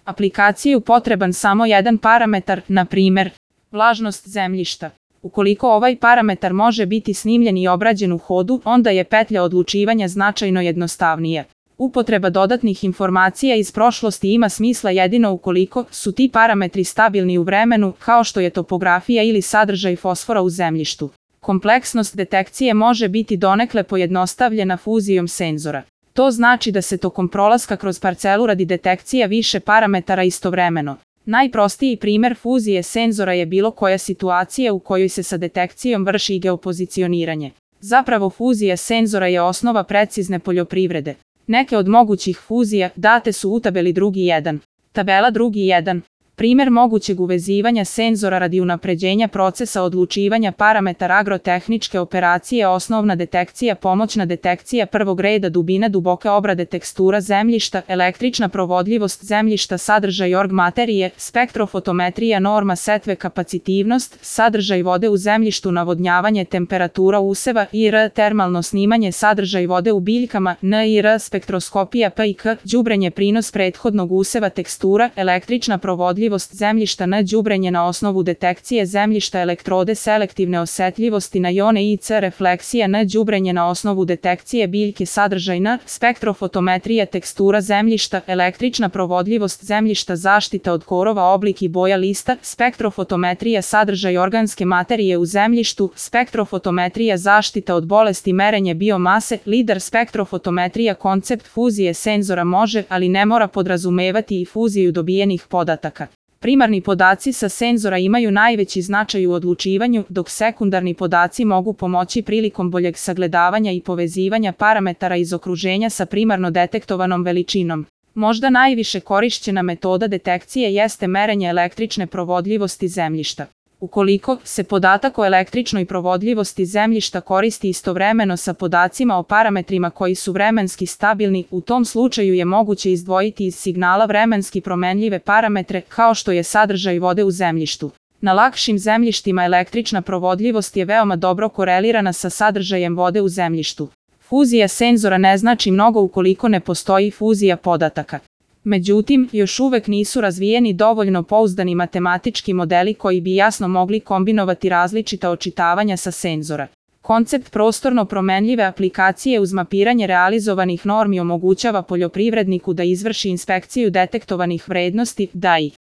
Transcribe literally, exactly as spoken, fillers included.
aplikaciju potreban samo jedan parametar, na primer, vlažnost zemljišta. Ukoliko ovaj parametar može biti snimljen i obrađen u hodu, onda je petlja odlučivanja značajno jednostavnija. Upotreba dodatnih informacija iz prošlosti ima smisla jedino ukoliko su ti parametri stabilni u vremenu, kao što je topografija ili sadržaj fosfora u zemljištu. Kompleksnost detekcije može biti donekle pojednostavljena fuzijom senzora. To znači da se tokom prolaska kroz parcelu radi detekcija više parametara istovremeno. Najprostiji primjer fuzije senzora je bilo koja situacija u kojoj se sa detekcijom vrši geopozicioniranje. Zapravo fuzija senzora je osnova precizne poljoprivrede. Neke od mogućih fuzija date su u tabeli drugi jedan. Tabela drugi jedan. Primjer mogućeg uvezivanja senzora radi unapređenja procesa odlučivanja parametara agrotehničke operacije, osnovna detekcija, pomoćna detekcija prvog reda, dubina duboke obrade tekstura zemljišta, električna provodljivost zemljišta, sadržaj org materije, spektrofotometrija, norma setve, kapacitivnost, sadržaj vode u zemljištu, navodnjavanje, temperatura useva I R, termalno snimanje, sadržaj vode u biljkama, N I R, spektroskopija P I K, đubrenje, prinos prethodnog useva, tekstura, električna provodljivost zemljišta N, đubrenje na osnovu detekcije zemljišta, elektrode selektivne osetljivosti na jone I C, refleksija N, đubrenje na osnovu detekcije biljke, sadržaj N, spektrofotometrija, tekstura zemljišta, električna provodljivost zemljišta, zaštita od korova, oblik I boja lista, spektrofotometrija, sadržaj organske materije u zemljištu, spektrofotometrija, zaštita od bolesti, merenje biomase, lider spektrofotometrija. Koncept fuzije senzora može, ali ne mora podrazumevati i fuziju dobijenih podataka. Primarni podaci sa senzora imaju najveći značaj u odlučivanju, dok sekundarni podaci mogu pomoći prilikom boljeg sagledavanja i povezivanja parametara iz okruženja sa primarno detektovanom veličinom. Možda najviše korišćena metoda detekcije jeste merenje električne provodljivosti zemljišta. Ukoliko se podatak o električnoj provodljivosti zemljišta koristi istovremeno sa podacima o parametrima koji su vremenski stabilni, u tom slučaju je moguće izdvojiti iz signala vremenski promenljive parametre, kao što je sadržaj vode u zemljištu. Na lakšim zemljištima električna provodljivost je veoma dobro korelirana sa sadržajem vode u zemljištu. Fuzija senzora ne znači mnogo ukoliko ne postoji fuzija podataka. Međutim, još uvek nisu razvijeni dovoljno pouzdani matematički modeli koji bi jasno mogli kombinovati različita očitavanja sa senzora. Koncept prostorno promenljive aplikacije uz mapiranje realizovanih normi omogućava poljoprivredniku da izvrši inspekciju detektovanih vrednosti, D A I.